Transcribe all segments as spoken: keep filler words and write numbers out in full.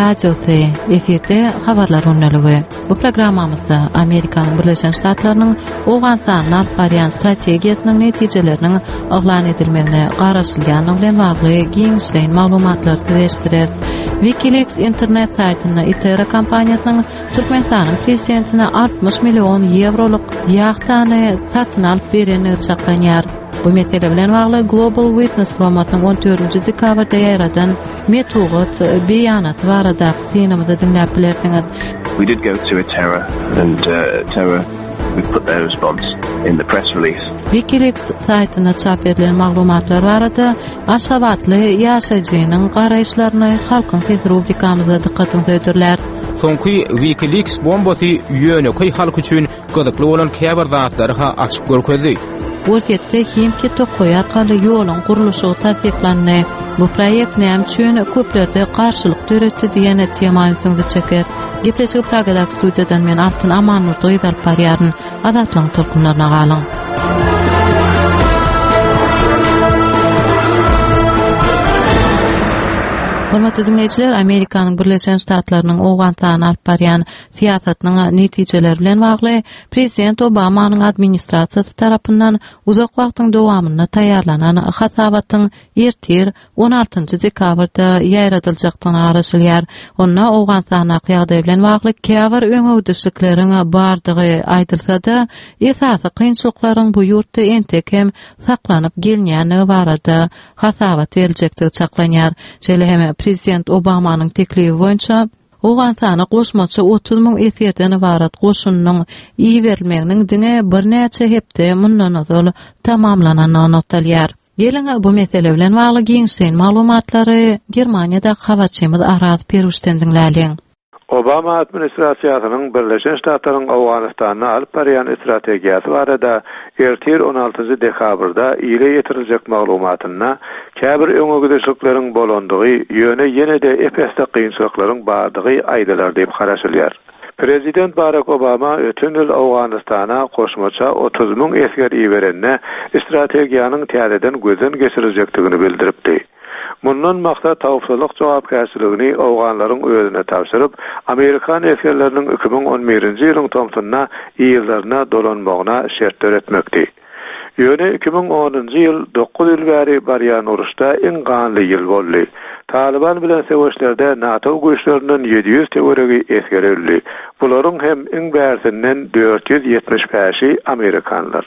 Radiosy, efirde Habarlar gündeligi. Bu programmamyzda Amerikanyň Birleşen Ştatlarynyň Owganystanda alyp barýan strategiýasynyň netijeleriniň yglan edilmegine garaşylýandygy bilen bagly giňişleýin maglumatlary size eşitdireris. WikiLeaks internet saýtynda Itera kompaniýasynyň Türkmenistanyň prezidentine altmyş million ýewrolyk ýahtany satyn alyp berendigi çaklanýar. Bu mesele bilen bagly Global Witness guramasynyň on dördünji dekabrda ýaýradan metbugat beýanaty baradaky synymyzy diňläp bilersiňiz. We did go to Itera and, uh, Itera, we put their response in the press release. WikiLeaks saýtynda çap edilen maglumatlar barada Aşgabatly ýaşaýjynyň garaýyşlaryny Halkyň sesi rubrikamyzda dykgatyňyza hödürläris. Soňky WikiLeaks bombasy ýönekeý halk üçin gyzykly bolan käbir zatlary ha açyk görkezdi. Orsýetde Himki tokaýy arkaly ýoluň gurluşygy tassyklandy. Bu proýekt näme üçin köplerde garşylyk döretdi diýen tema ünsüňizi çeker. Gepleşigi Pragadaky studiýadan men Altyn Amanmurdy gyz alyp barýaryn. Azatlygyň tolkunlaryna galyň. Hormatly dinleýjiler, Amerikanyň Birleşen Ştatlarynyň Owganystana alyp barýan syýasatynyň netijeleri bilen bagly Prezident Obamanyň administrasiýasy tarapyndan uzak wagtyň dowamynda taýýarlanan hasabatyň ertir on altynjy dekabrda ýaýradyljakdygyna garaşylýar. Onda Owganystandaky ýagdaý bilen bagly käbir öňegidişlikleriň bardygy aýdylsa-da, esasy kynçylyklaryň bu ýurtda entek hem saklanyp gelinýändigi barada hasabat beriljekdigi çaklanýar. Şeýle hem Prezident Obamanyň teklibi boýunça Owganystana goşmaça otuz müň esgerden ybarat goşunynyň iberilmeginiň diňe birnäçe hepde mundan ozal tamamlanandygy nygtalýar. Geliň bu mesele bilen bagly giňişleýin maglumatlary Germaniýadaky habarçymyz Araz Peruşden diňläliň. Obama administrasiýasynyň Birleşen Ştatlaryň Owganystanda alyp barýan strategiýasy barada ertir on altynjy dekabrda ile ýetiriljek maglumatynda käbir öňegidişlikleriň bolandygy, ýöne ýene-de ep-esli kynçylyklaryň bardygy aýdylar diýip garaşylýar. Prezident Barack Obama öten ýyl Owganystana goşmaça otuz müň esger iberende strategiýanyň täzeden gözden geçiriljekdigini bildiripdi. Mundan maksat howpsuzlyk jogapkärçiligini Owganlaryň özüne tabşyryp, Amerikan esgerleriniň iki müň on birinji ýylyň tomsunda yzlaryna dolanmagyna şert döretmekdi. Ýöne iki müň onunjy ýyl dokuz ýyl bäri barýan uruşda iň ganly ýyl boldy. Taliban bilen söweşlerde NATO güýçlerinden ýedi ýüz töweregi esger öldi. Bularyň hem iň bärsinden dört ýüz ýetmiş bäşi Amerikanlar.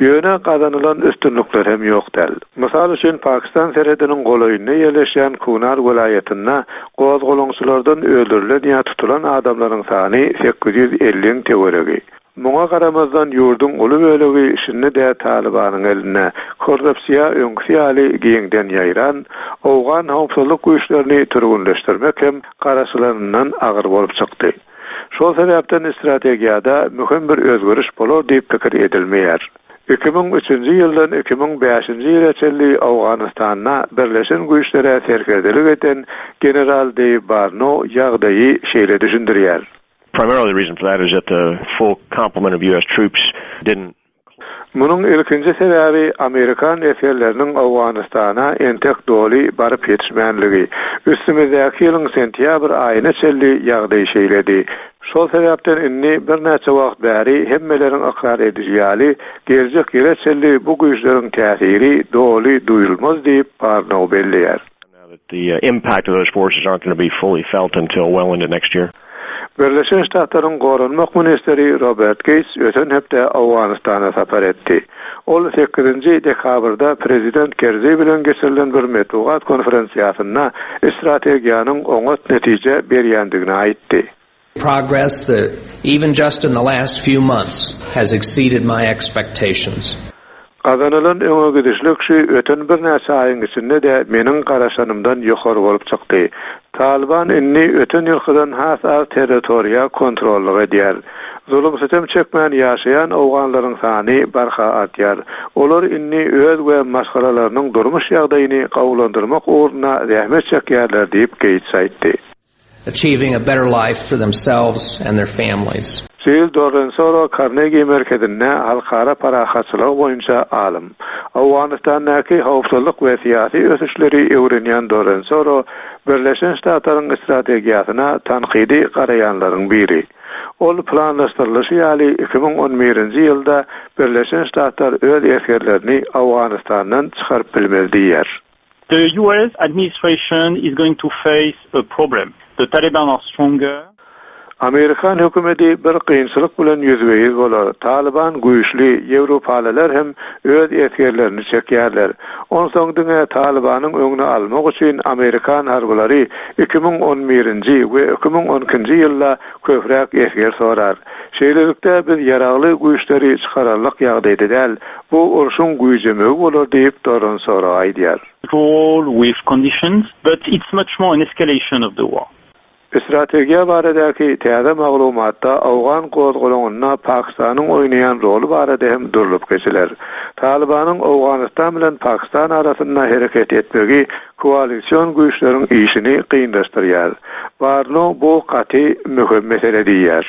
Ýöne gazanylan üstünlikler hem ýok däl. Mysal üçin Pakistan serhediniň golaýynda ýerleşýän Kunar welaýatynda gozgalaňçylardan öldürilen ýa tutulan adamlaryň sany sekiz ýüz elli töweregi. Muňa garamazdan ýurduň uly bölegi şindi-de Talibanyň elinde. Korrupsiýa öňküsi ýaly giňden ýaýran, Owgan howpsuzlyk güýçlerini türgünleşdirmek hem garaşylanyndan agyr bolup çykdy. Şol sebäpden strategiýada möhüm bir özgeriş bolar diýip pikir edilmeýär. iki müň üçünji ýyldan iki müň bäşinji ýyla çenli Owganystanda Birleşen Güýçlere serkerdelik eden General Dave Barno ýagdaýy şeýle düşündirýär. Primarily the reason for that is that the full complement of U S troops didn't. Munuň ilkinji sebäbi Amerikan esgerleriniň Owganystana entek doly baryp ýetişmänligi. Üstümizdäki ýylyň sentýabr aýyna çenli ýagdaý şeýledi. Şol sebäpden indi birnäçe wagt bäri hemmeleriň ykrar ediji ýaly geljek ýyla çenli bu güýçleriň täsiri doly duýulmaz diýip Barno belleýär. The, uh, impact of those forces aren't gonna be fully felt until well into next year. Birleşen Ştatlaryň Goranmak ministri Robert Gates öten hepde Owganystana sapar etdi. Ol sekizinji dekabrda Prezident Kerzi bilen geçirilen bir metbugat konferensiýasynda strategiýanyň oňat netije berýändigini aýtdy. Progress that even just in the last few months has exceeded my expectations. Gazanylan öňegidişlik şu öten birnäçe aýyň içinde de meniň garaşanymdan ýokary bolup çykdy. Taliban indi öten ýylkydan has az territoriýa kontrollyk edýär. Zulum sütem çekmän ýaşaýan Owganlaryň sany barha artýar. Olar indi öz we maşgalalarynyň durmuş ýagdaýyny gowulandyrmak ugrunda zähmet çekýärler diýip Gates aýtdy. Achieving a better life for themselves and their families. Jill Dorronsoro Carnegie merkezinde halkara parahatçylygy boýunça alym. Owganystandaky howpsuzlyk we syýasy ösüşleri öwrenýän Dorronsoro Birleşen Ştatlaryň strategiýasyna tankydy garaýanlaryň biri. Ol planlaşdyrylyşy ýaly iki müň on birinji ýylda Birleşen Ştatlar öz esgerlerini Owganystandan çykaryp bilmez diýýär. The U S administration is going to face a problem. The Taliban are stronger. Amerikan hökümeti bir kynçylyk bilen ýüzbe-ýüz bolar. Taliban güýçli, Ýewropalylar hem öz esgerlerini çekýärler. Onsoň diňe Talibanyň öňüni almak üçin Amerikan harbylary iki müň on birinji we iki müň on ikinji ýylda köpräk esger sorar. Şeýlelikde biz ýaragly güýçleri çykararlyk ýagdaýda däl. Bu urşuň güýjemegi bolar diýip Dorronsoro aýdýar. All with conditions, but it's much more an escalation of the war. Strategiýa baradaky täze maglumatda Owgan gozgalaňynda Pakistanyň oýnaýan roly barada hem durlup geçiler. Talibanyň Owganystan bilen Pakistan arasynda hereket etmegi koalisyon güýçleriň işini kynlaşdyrýar. Barno bu gaty möhüm mesele diýýär.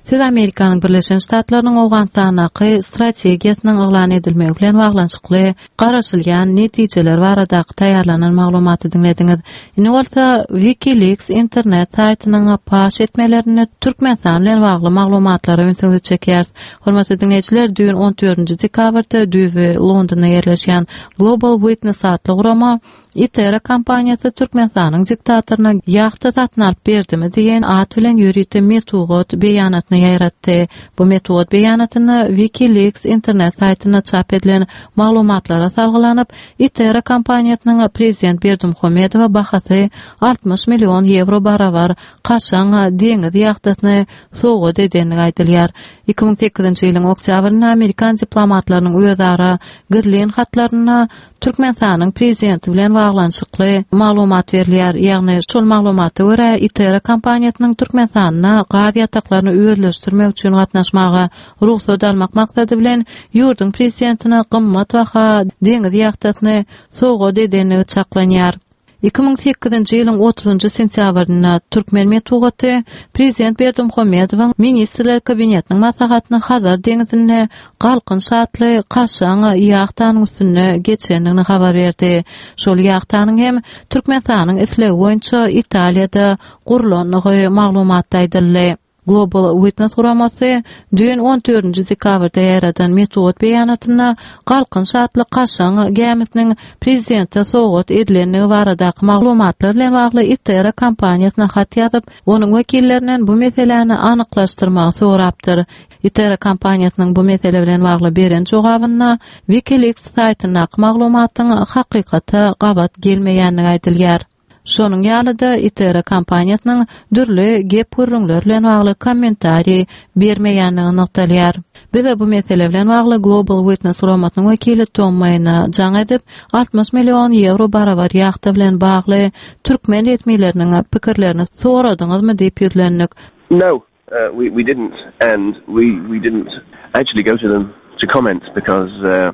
Siz Amerikanyň Birleşen Ştatlarynyň Owganystandaky strategiýasynyň yglan edilmegi bilen baglanyşykly garaşylýan netijeler baradaky taýýarlanan maglumaty diňlediňiz. Indi bolsa WikiLeaks internet saýtynyň paş etmelerine Türkmenistan bilen bagly maglumatlara ünsüňizi çekýäris. Hormatly diňleýjiler, düýn on dördünji dekabrda düýbi Londonda ýerleşýän Global Witness atly gurama Itera kompaniýasy Türkmenistanyň diktatoryna ýahta satyn alyp berdimi diýen at bilen ýörite metbugat beýanatyny ýaýratdy. Bu metbugat beýanatynda WikiLeaks internet saýtynda çap edilen maglumatlara salgylanyp, Itera kompaniýasynyň prezident Berdimuhamedowa bahasy altmyş million ýewro barabar kaşaň deňiz ýahtasyny sowgat edenligi aýdylýar. Iki müň sekizinji ýylyň oktýabrynda Amerikan diplomatlarynyň özara gizlin hatlarynda Türkmenistanyň prezidenti bilen baglanyşykly maglumat berilýär. Ýagny şol maglumata görä Itera kompaniýasynyň Türkmenistanda gaz ýataklaryny özleşdirmek üçin gatnaşmaga rugsat almak maksady bilen ýurduň prezidentine gymmat baha deňiz ýahtasyny sowgat edenligi çaklanýar. Iki müň sekizinji ýylyň otuzynjy sentýabrynda Türkmen metbugaty prezident Berdimuhamedowyň Ministrler Kabinetiniň maslahatyny Hazar deňizinde Galkynyş atly kaşaň ýahtanyň üstünde geçendigini habar berdi. Şol ýahtanyň hem Türkmenistanyň islegi boýunça Italiýada gurlandygy maglumatda aýdyldy. Global Witness guramasy düýn on dördünji dekabrda ýaradan metbugat beýanatynda Galkynyş atly kaşaň gämisiniň prezidente sowgat edilendigi baradaky maglumatlar bilen bagly Itera kompaniýasyna hat ýazyp, onuň wekillerinden bu meseläni anyklaşdyrmagy sorapdyr. Itera kompaniýasynyň bu mesele bilen bagly beren jogabynda WikiLeaks saýtyndaky maglumatyň hakykata gabat gelmeýändigi aýdylýar. Şonuň ýaly-da Itera kompaniýasynyň dürli gep gürrüňler bilen bagly kommentariý bermeýändigi nygtalýar. Bize bu mesele bilen bagly Global Witness guramasynyň wekili Tom Maýna jaň edip, altmyş million ýewro barabar ýahta bilen bagly türkmen resmileriniň pikirlerini soradyňyzmy diýip ýüzlendik. No, uh, we, we didn't, and we, we didn't actually go to them to comment because, uh,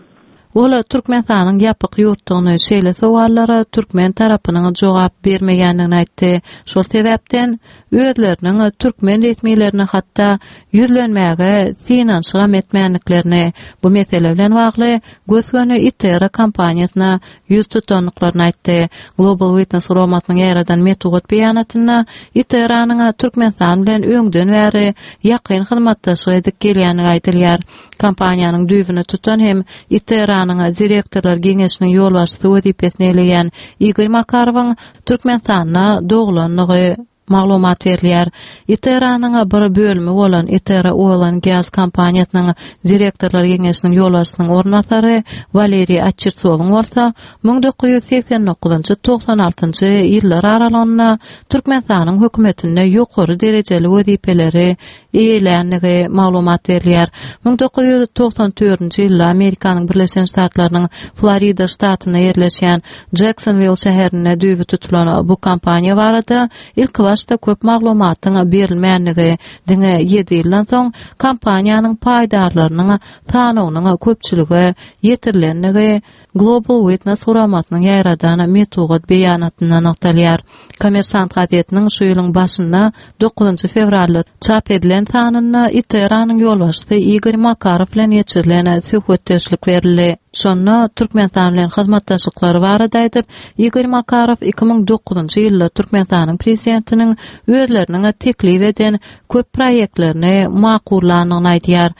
Ola Türkmenistanyň ýapyk ýurtdugyny şeýle sowallara türkmen tarapynyň jogap bermeýändigini aýtdy. Şol sebäpden özleriniň türkmen resmilerine hatda ýüzlenmäge synanyşygam etmänliklerini, bu mesele bilen bagly gös-göni Itera kompaniýasyna ýüz tutandyklaryny aýtdy. Global Witness guramasynyň ýaradan metbugat beýanatynda Iteranyň Türkmenistan bilen öňden bäri ýakyn hyzmatdaşlyk edip gelýändigi aýdylýar. Kompaniýanyň düýbüni tutan hem Iteranyň direktorlar geňeşiniň ýolbaşçysy wezipesini eýeleýän Igor Makarowyň Türkmenistanda doglandygy maglumat berilýär. Iteranyň bir bölümi bolan Itera Oil and Gas kompaniýasynyň direktorlar geňeşiniň ýolbaşçysynyň orunbasary Waleriý Açirsowyň bolsa müň dokuz ýüz seksen dokuzynjy togsan altynjy ýyllar aralygynda Türkmenistanyň hökümetinde ýokary derejeli wezipeleri eýelänligi maglumat berilýär. Müň dokuz ýüz togsan dördünji ýylda Amerikanyň Birleşen Ştatlarynyň Florida ştatynda ýerleşýän Jacksonville şäherinde düýbi tutulan bu kompaniýa barada ilk başda köp maglumatyň berilmänligi, diňe ýedi ýyldan soň kompaniýanyň paýdarlarynyň sanawynyň köpçülige ýetirilenligi Global Witness guramasynyň ýaradan metbugat beýanatynda nygtalýar. Kommersant gazetiniň şu ýylyň başynda dokuzynjy fewralda çap edilen sanynda ITERA-nyň ýolbaşçysy Igor Makarow bilen geçirilen söhbetdeşlik berildi. Şonda Türkmenistan bilen hyzmatdaşlyklary barada aýdyp, Igor Makarow iki müň dokuzynjy ýylda Türkmenistanyň prezidentiniň özleriniň teklip eden köp proýektlerini makullandygyny aýdýar.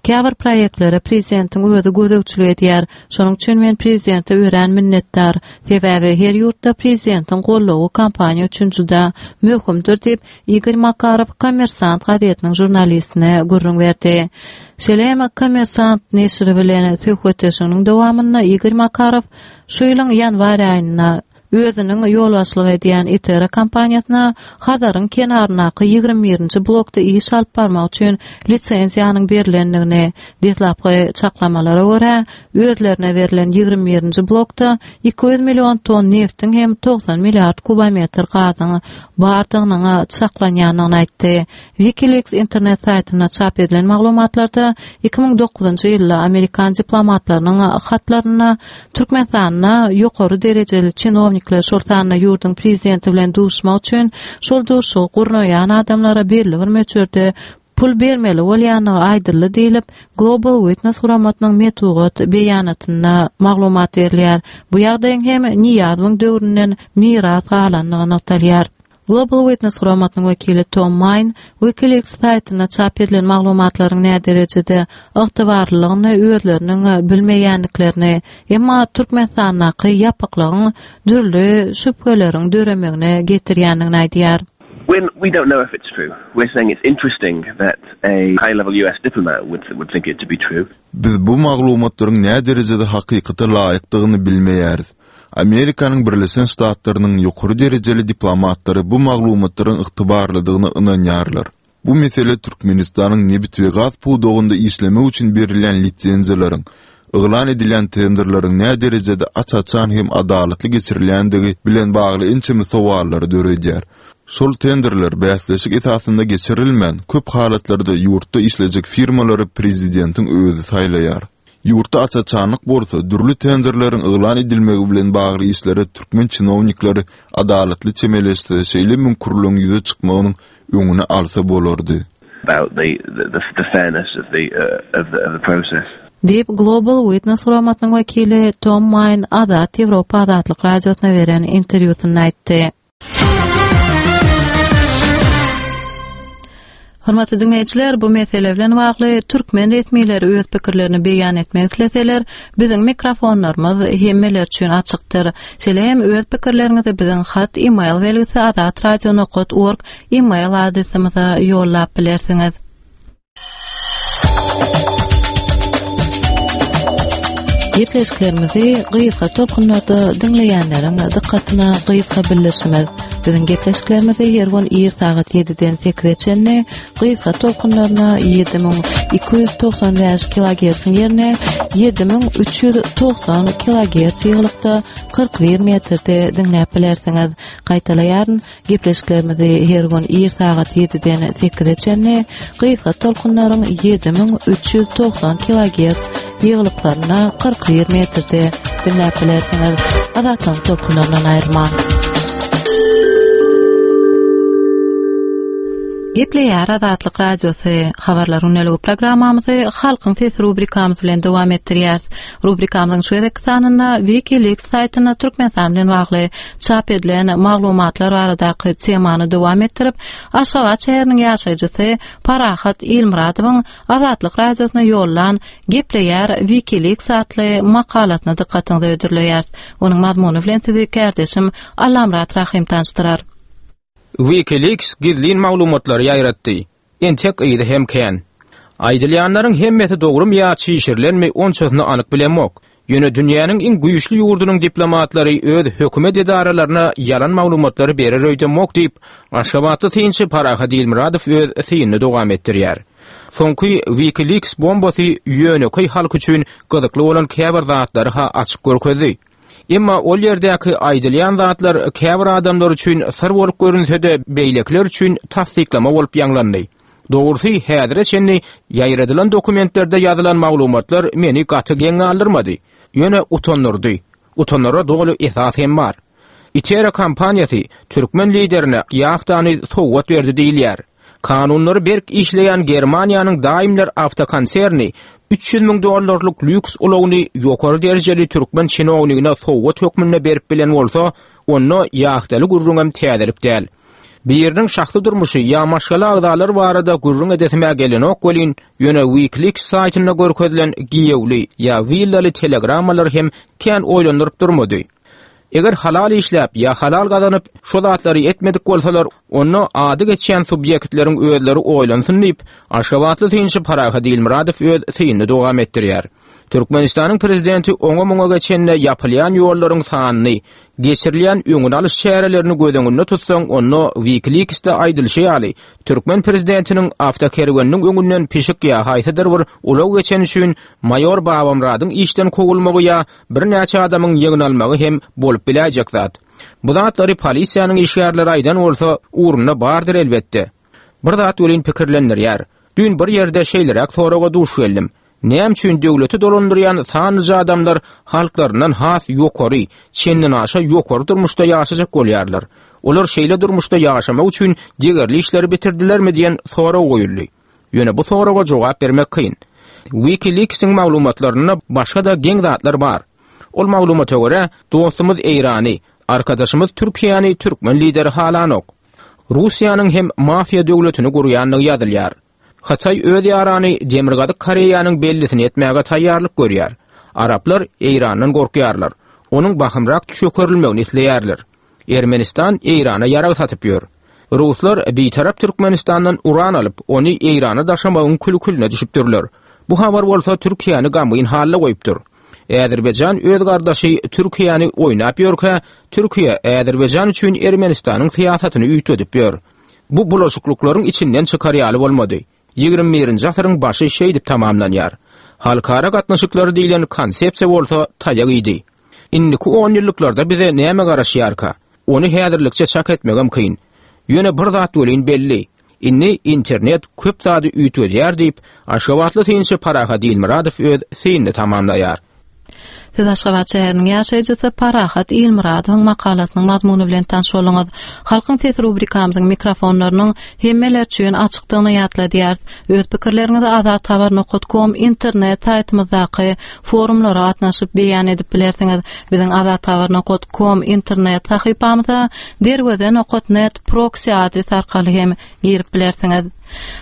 Käbir proýektlere prezidentiň özi gözegçilik edýär. Şonuň üçin men prezidente örän minnetdar. Sebäbi her ýurtda prezidentiň goldawy kompaniýa üçin juda möhümdir diýip, Igor Makarow Kommersant gazetiniň žurnalistine gürrüň berdi. Şeýle hem Kommersant neşiri bilen söhbetdeşliginiň dowamynda Igor Makarow şu ýylyň ýanwar aýynda özüniň ýolbaşçylyk edýän ITERA kompaniýasyna Hazaryň kenaryndaky ýigrimi birinji blokda iş alyp barmak üçin lisenziýanyň berlendigini, deslapky çaklamalara görä, özlerine berlen ýigrimi birinji blokda iki ýüz million ton neftiň hem togsan milliard kubometr gazyň bardygynyň çaklanýandygyny aýtdy. WikiLeaks internet saýtynda çap edilen maglumatlarda iki müň dokuzynjy ýylda amerikan diplomatlarynyň hatlarynda Türkmenistanda ýokary derejeli çinownikler, şol sanda ýurduň prezidenti bilen duşmak üçin şol duşuşygy gurnaýan adamlara belli bir möçberde pul bermeli bolýandygy aýdyldy diýlip, Global Witness guramasynyň metbugat beýanatynda maglumat berilýär. Bu ýagdaýyň hem Nyýazowyň döwründen miras galandygy nygtalýar. Global Witness guramasynyň wekili Tom Maýn WikiLeaks saýtynda çap edilen maglumatlaryň näderejede ygtybarlylygyny özleriniň bilmeýändiklerini, emma Türkmenistandaky ýapyklygyň dürli şübheleriň döremegine getirýändigini aýdýar. When we don't know if it's true. We're saying it's interesting that a high-level U S diplomat would, would think it to be true. Biz bu maglumatlaryň näderejede hakykata laýykdygyny bilmeýäris. Amerikanyň Birleşen Ştatlarynyň ýokary derejeli diplomatlary bu maglumatlaryň ygtybarlydygyna ynanýarlar. Bu mesele Türkmenistanyň nebit we gaz pudagynda işlemek üçin berilýän lisenziýalaryň, yglan edilýän tenderleriň näderejede aç-açan hem adalatly geçirilýändigi bilen bagly ençeme sowallary döredýär. Şol tenderler bäsleşik esasynda geçirilmän, köp halatlarda ýurtda işlejek firmalary prezidentiň özi saýlaýar. Ýurtda aç-açanlyk bolsa, dürli tenderleriň yglan edilmegi bilen bagly işlere türkmen çinownikleri adalatly çemeleşse, şeýle müňkürligiň ýüze çykmagynyň öňüni alsa bolardy. About the, the, the, the fairness of the, uh, of the, of the process. Diýip, Global Witness guramasynyň wekili Tom Maýn Azat Ýewropa Azatlyk Radiosyna beren interwýusynda aýtdy. Hormatly dinleýjiler, bu mesele bilen bagly türkmen resmileri öz pikirlerini beýan etmek isleseler, biziň mikrofonlarymyz hemmeler üçin açykdyr. Şeýle hem öz pikirleriňizi biziň hat e-mail belgisi azatradio nokta org e-mail adresimize ýollap bilersiňiz. Gepleşiklerimizi gysga tolkunlarda diňleýänleriň dykgatyna gysga bildirişimiz. Biziň gepleşiklerimizi her gün ir sagat ýediden sekize çenli gysga tolkunlaryna ýedi müň iki ýüz togsan bäş kilogertsiň ýerine ýedi müň üç ýüz togsan kilogerts ýygylykda kyrk bir metrde diňläp bilersiňiz. Gaýtalaýaryn, gepleşiklerimizi her gün ir sagat ýediden sekize çenli gysga tolkunlaryň ýedi müň üç ýüz togsan kilogerts ýygylyklarynda kyrk bir metrde diňläp bilersiňiz. Azatlygyň tolkunlaryndan aýrylmaň. Gepleýär Azatlyk Radiosy. Habarlar gündeligi programmamyzy Halkyň sesi rubrikamyz bilen dowam etdirýäris. Rubrikamyzyň şu gezekki sanynda WikiLeaks saýtynda Türkmenistan bilen bagly çap edilen maglumatlar baradaky temany dowam etdirip, Aşgabat şäheriniň ýaşaýjysy Parahat Ilmyradowyň Azatlyk Radiosyna ýollan Gepleýär WikiLeaks atly makalasyna dykgatyňyzy hödürleýäris. Onuň mazmuny bilen sizi kärdeşim Allamyrat Rahym tanyşdyrar. WikiLeaks gizlin maglumatlary ýaýratdy. Entek yzy hem kän. Aýdylýanlaryň hemmesi dogrumy ýa çişirilenmi onçasyny anyk bilemok. Ýöne dünýäniň iň güýçli ýurdunyň diplomatlary öz hökümet edaralaryna ýalan maglumatlary berer öýdemok diýip, Aşgabatly synçy Parahat Ilmyradow öz synyny dowam etdirýär. Soňky WikiLeaks bombasy ýönekeý halk üçin gyzykly bolan käbir zatlary ha açyk görkezdi. Emma ol ýerdäki aýdylýan zatlar käbir adamlar üçin syr bolup görünse-de, beýlekiler üçin tassyklama bolup ýaňlandy. Dogrusy, häzire çenli ýaýradylan dokumentlerde ýazylan maglumatlar meni gaty geň galdyrmady. Ýöne utandyrdy. Utanara doly esas hem bar. ITERA kompaniýasy türkmen liderine ýahtany sowgat berdi diýilýär. Kanunlary berk işleýän Germaniýanyň Daimler awtokonserni üç ýüz müň dollarlyk lýuks ulagyny ýokary derejeli türkmen çinownigine sowgat hökmünde berip bilen bolsa, onda ýahtaly gürrüňem täzelik däl. Biriniň şahsy durmuşy ýa maşgala agzalary barada gürrüň edesime gelenok welin, ýöne WikiLeaks saýtynda görkezilen giýewli ýa willaly telegrammalar hem kän oýlandyryp durmady. Eger halal işläp ýa halal gazanyp şo zatlary etmedik bolsalar, onda ady geçýän subýektleriň özleri oýlansyn diýip, Aşgabatly synçy Parahat Ilmyradow öz synyny dowam etdirýär. Türkmenistanyň prezidenti oňa muňa geçende ýapylýan ýollaryň sanyny, geçirilýän öňüni alyş çärelerini göz öňünde tutsaň, onda WikiLeaksde aýdylyşy ýaly, türkmen prezidentiniň awtokerweniniň öňünden pişik ýa haýsydyr bir ulag geçen üçin maýor Babamyradyň işden kowulmagy ýa birnäçe adamyň ýygnalmagy hem bolup biläýjek zat. Bu zatlary polisiýanyň işgärleri aýdan bolsa, ugrunda bardyr elbetde. Bir zat welin pikirlendirýär. Düýn bir ýerde şeýleräk soraga duş geldim. Näme üçin döwleti dolandyrýan sanlyja adamlar halklaryndan has ýokary, çenden aşa ýokary durmuşda ýaşajak bolýarlar? Olar şeýle durmuşda ýaşamak üçin degerli işleri bitirdilermi diýen sorag goýuldy. Ýöne bu soraga jogap bermek kyn. WikiLeaks'in maglumatlarynda başga da geň zatlar bar. Ol maglumata görä, dostumyz Eýrany, arkadaşymyz Türkiýäni türkmen lideri halanok. Russiýanyň hem mafiýa döwletini gurýandygy ýazylýar. Hytaý öz ýarany Demirgazyk Koreýanyň bellisini etmäge taýýarlyk görýär. Araplar Eýrandan gorkýarlar. Onuň bahymrak çökerilmegini isleýärler. Ermenistan Eýrana ýarag satyp ýör. Ruslar bitarap Türkmenistandan uran alyp, ony Eýrana daşamagyň külkülüne düşüpdirler. Bu habar bolsa Türkiýäni gamgyn halda goýupdyr. Azerbaýjan öz gardaşy Türkiýäni oýnap ýörkä, Türkiýe Azerbaýjan üçin Ermenistanyň syýasatyny üýtgedip ýör. Bu bulaşyklyklaryň içinden çykar ýaly bolmady. Ýigrimi birinji asyryň başy şeýdip tamamlanýar. Halkara gatnaşyklary diýlen konsepsiýa bolsa taýak idi. Indiki on ýyllyklarda bize näme garaşýarka? Ony häzirlikçe çak etmegem kyn. Ýöne bir zat welin belli. Indi internet köp zady üýtgedýär diýip, Aşgabatly synçy Parahat Ilmyradow öz synyny tamamlaýar. Siz Aşgabat şäheriniň ýaşaýjysy Parahat Ilmyradowyň makalasynyň mazmuny bilen tanyş bolduňyz. Halkyň sesi rubrikamyzyň mikrofonlarynyň hemmeler üçin açykdygyny ýatladýarys. Öz pikirleriňizi azathabar nokta com internet saýtymyzdaky forumlara gatnaşyp beýan edip bilersiňiz. Biziň azathabar nokta com internet sahypamyza derweze nokta net proxy adres arkaly hem girip bilersiňiz.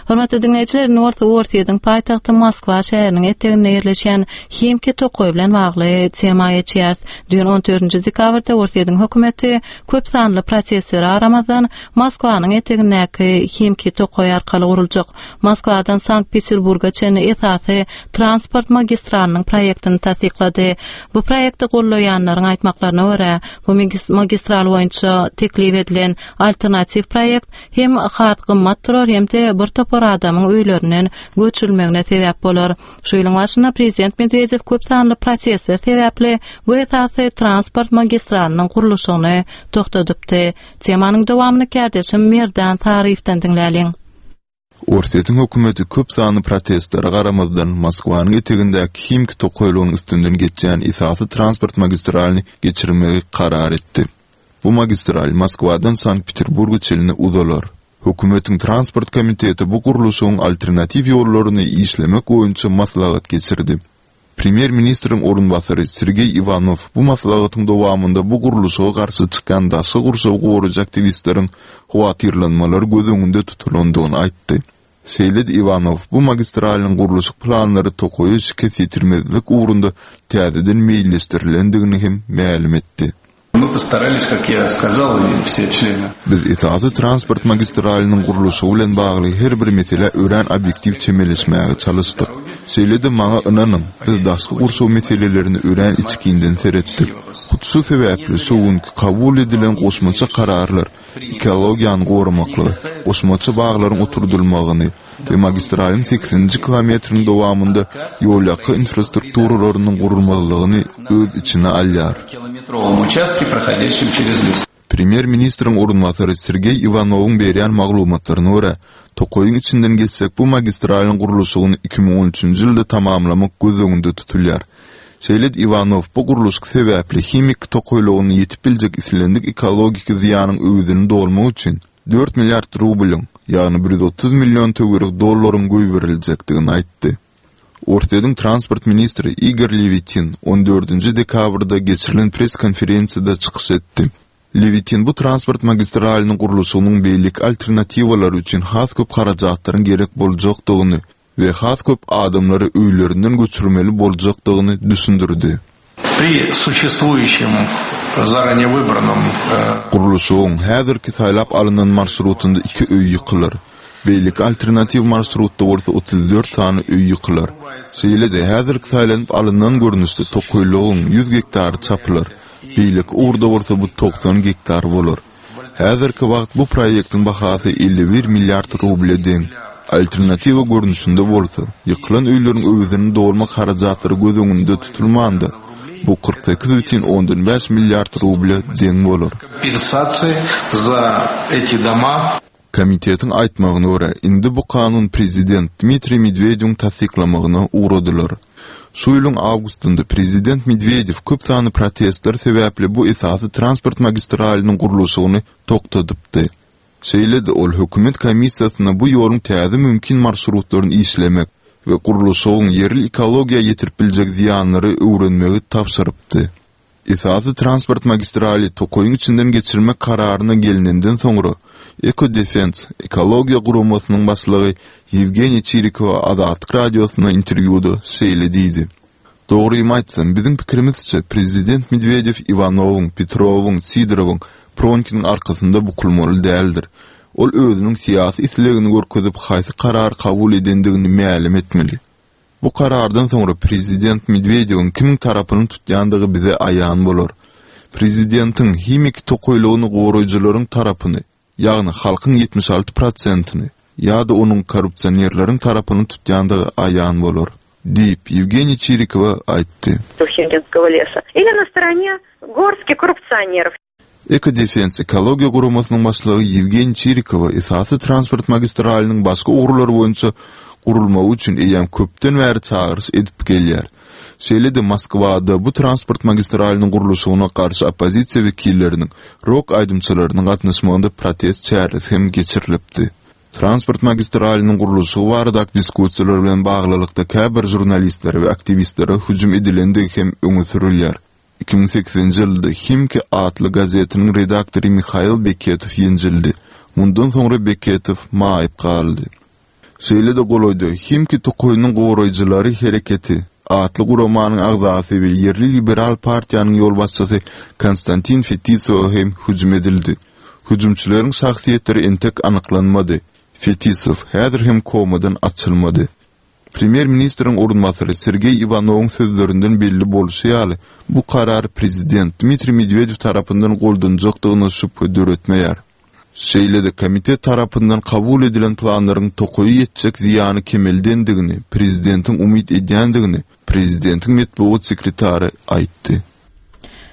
Hormatly dinleýjiler, indi bolsa Orsýetiň paýtagty Moskwa şäheriniň eteginde ýerleşýän Himki tokaýy bilen bagly tema geçýäris. Düýn on dördünji dekabrda Orsýetiň hökümeti köp sanly protestlere garamazdan Moskwanyň etegindäki Himki tokaýy arkaly guruljak Moskwadan Sankt-Peterburga çenli esasy transport magistralynyň proýektini tassyklady. Bu proýekti gollaýanlaryň aýtmaklaryna görä, bu magistral boýunça teklip edilen alternatiw proýekt hem has gymmat durar hem-de bir topar adamyň öýlerinden göçürilmegine sebäp bolar. Şu ýylyň başynda prezident Medwedew köp sanly protestler sebäpli bu esasy transport magistralynyň gurluşygyny toxtadypdy. Temanyň dowamyny kärdeşim Merdan Saryýewden diňläliň. Orsýetiň hökümeti köp sanly protestlere garamazdan Moskwanyň etegindäki Himki tokaýlygynyň üstünden geçýän esasy transport magistralyny geçirmegi karar etdi. Bu magistral Moskwadan Sankt-Peterburga çenli uzalar. Hökümetiň transport komiteti bu gurluşygyň alternatiw ýollaryny işlemek boýunça maslahat geçirdi. Premýer-ministriň orunbasary Sergeý Iwanow bu maslahatyň dowamynda bu gurluşyga garşy çykan daşky gurşawy goraýjy aktiwistleriň howatyrlanmalary göz öňünde tutulandygyny aýtdy. Şeýle-de Iwanow bu magistralyň gurluşyk planlary tokaýa şikes ýetirmezlik ugrunda täzeden meýilleşdirilendigini hem mälim etdi. Мы постарались, как я сказал, и все члены. Biz esasy transport magistralynyň gurluşygy bilen bagly her bir mesele örän obýektiw çemeleşmäge çalyşdyk. Şeýle-de maňa ynanyň, biz daşky gurşaw meselelerini örän içkinden seretdik. Hut şu sebäpli şu günkü kabul edilen goşmaça kararlar ekologiýany goramaklygy, goşmaça baglaryň oturdulmagyny we magistralyň seksenji kilometriniň dowamynda ýolýaka infrastrukturalarynyň gurulmalygyny öz içine alýar. Premýer-ministriň orunbasary Sergeý Iwanowyň berýän maglumatlaryna görä, tokaýyň içinden geçsek bu magistralyň gurluşygyny iki müň on üçünji ýylda tamamlamak göz öňünde tutulýar. Şeýle-de Iwanow bu gurluşyk sebäpli himik tokaýlygyny ýetip biljek islendik ekologik zyýanyň öwezini dolmak üçin dört milliard rublyň, ýagny bir ýüz otuz million töweregi dollaryň goýberiljekdigini aýtdy. Orsýetiň transport ministri Igor Lewitin on dördünji dekabrda geçirilen press-konferensiýada çykyş etdi. Lewitin bu transport magistralynyň gurluşygynyň beýleki alternatiwalary üçin has köp harajatlaryň gerek boljakdygyny we has köp adamlary öýlerinden göçürmeli boljakdygyny düşündirdi. Pri suçestwuýuşim zaranее wybranom, e, Gurluşygyň häzirki saýlap alynan marşrutynda iki öý ýykylar. Beýleki alternatiw marşrutda bolsa otuz dört sany öý ýykylar. Şeýle-de häzirki saýlanyp alynan görnüşde tokaýlygyň ýüz gektary çapylar. Beýleki ugurda bolsa bu togsan gektar bolar. Häzirki wagt bu proýektiň bahasy elli bir milliard ruble deň. Alternatiwa görnüşinde bolsa, ýykylan öýleriň öwezini dolmak harajatlary göz öňünde tutulmanda, bu kyrk sekiz bütin ondan bäş milliard ruble deň bolar. Kompensasiýa za эти дома. Komitetiň aýtmagyna görä, indi bu kanun prezident Dmitriý Medwedewiň tassyklamagyna ugradylar. Şu ýylyň awgustynda prezident Medwedew köp sanly protestler sebäpli bu esasy transport magistralynyň gurluşygyny toktadypdy. Şeýle-de ol hökümet komissiýasyna bu ýoluň täze mümkin marşrutlaryny işlemek we gurluşygyň ýerli ekologiýa ýetirip biljek zyýanlary öwrenmegi tabşyrypdy. Esasy transport magistraly tokaýyň içinden geçirmek kararyna gelinenden soňra Eco Defense ekologiýa guramasynyň başlygy Ýewgeniý Çirikowa Azatlyk radiosyna interwýuda şeýle diýdi. Dogrymy aýtsam, biziň pikirimizçe prezident Medwedew Iwanowyň, Petrowyň, Sidorowyň, Pronkiniň arkasynda bukulmaly däldir. Ol özüniň syýasy islegini görkezip haýsy karar kabul edendigini mälim etmeli. Bu karardan soňra prezident Medwedewiň kimiň tarapyny tutýandygy bize aýan bolar. Prezidentiň himiki tokaýlygyny goraýjylaryň tarapyny, ýagny halkyň ýetmiş alty prosentini ýa-da onuň korrupsionerleriň tarapyny tutýandygy aýan bolar, diýip Ýewgeniý Çirikowa aýtdy. Химкинского леса. Или на стороне горстки коррупционеров. Eco Defense ekologiýa guramasynyň başlygy Ýewgeniý Çirikowa esasy transport magistralynyň başga ugurlary boýunça gurulmagy üçin eýýäm köpden bäri çagyryş edip gelýär. Şeýle-de Moskwada bu transport magistralynyň gurluşygyna garşy oppozisiýa wekilleriniň, rok aýdymçylarynyň gatnaşmagynda protest çäresi hem geçirilipdi. Transport magistralynyň gurluşygy baradaky diskussiýalar bilen baglylykda käbir žurnalistlere we aktiwistlere hüjüm edilendigi hem öňe sürülýär. Iki müň sekizinji ýylda Himki atly gazetiniň redaktory Mihail Beketow ýenjildi. Mundan soňra Beketow maýyp galdy. Şeýle-de golaýda Himki tokaýynyň goraýjylary hereketi atly guramanyň agzasy we ýerli liberal partiýanyň ýolbaşçysy Konstantin Fetisowa hem hüjüm edildi. Hüjümçileriň şahsyýetleri entek anyklanmady. Fetisow häzir hem komadan açylmady. Premýer-ministriň orunbasary Sergeý Iwanowyň sözlerinden belli bolşy ýaly, bu karar prezident Dmitriý Medwedew tarapyndan goldanjakdygyna şübhe döretmeýär. Şeýle-de komitet tarapyndan kabul edilen planlaryň tokaýa ýetjek zyýany kemeldendigini, prezidentiň umyt edýändigini prezidentiň metbugat sekretary aýtdy.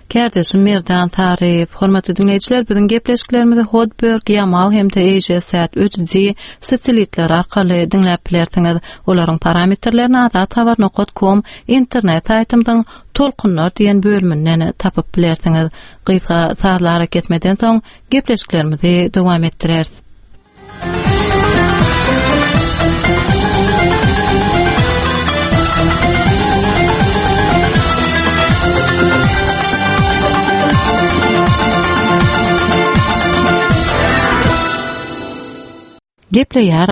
Kärdeşim Merdan Saryýew, hormatly dinleýjiler, biziň gepleşiklerimizi Hotbird, Yamal hem-de AsiaSat üç D satelitleri arkaly diňläp bilersiňiz. Olaryň parametrlerini azathabar nokta com internet saýtymyzyň Tolkunlar diýen bölüminden tapyp bilersiňiz. Gysga sazly hareketmeden soň gepleşiklerimizi dowam etdireris. Gepleýär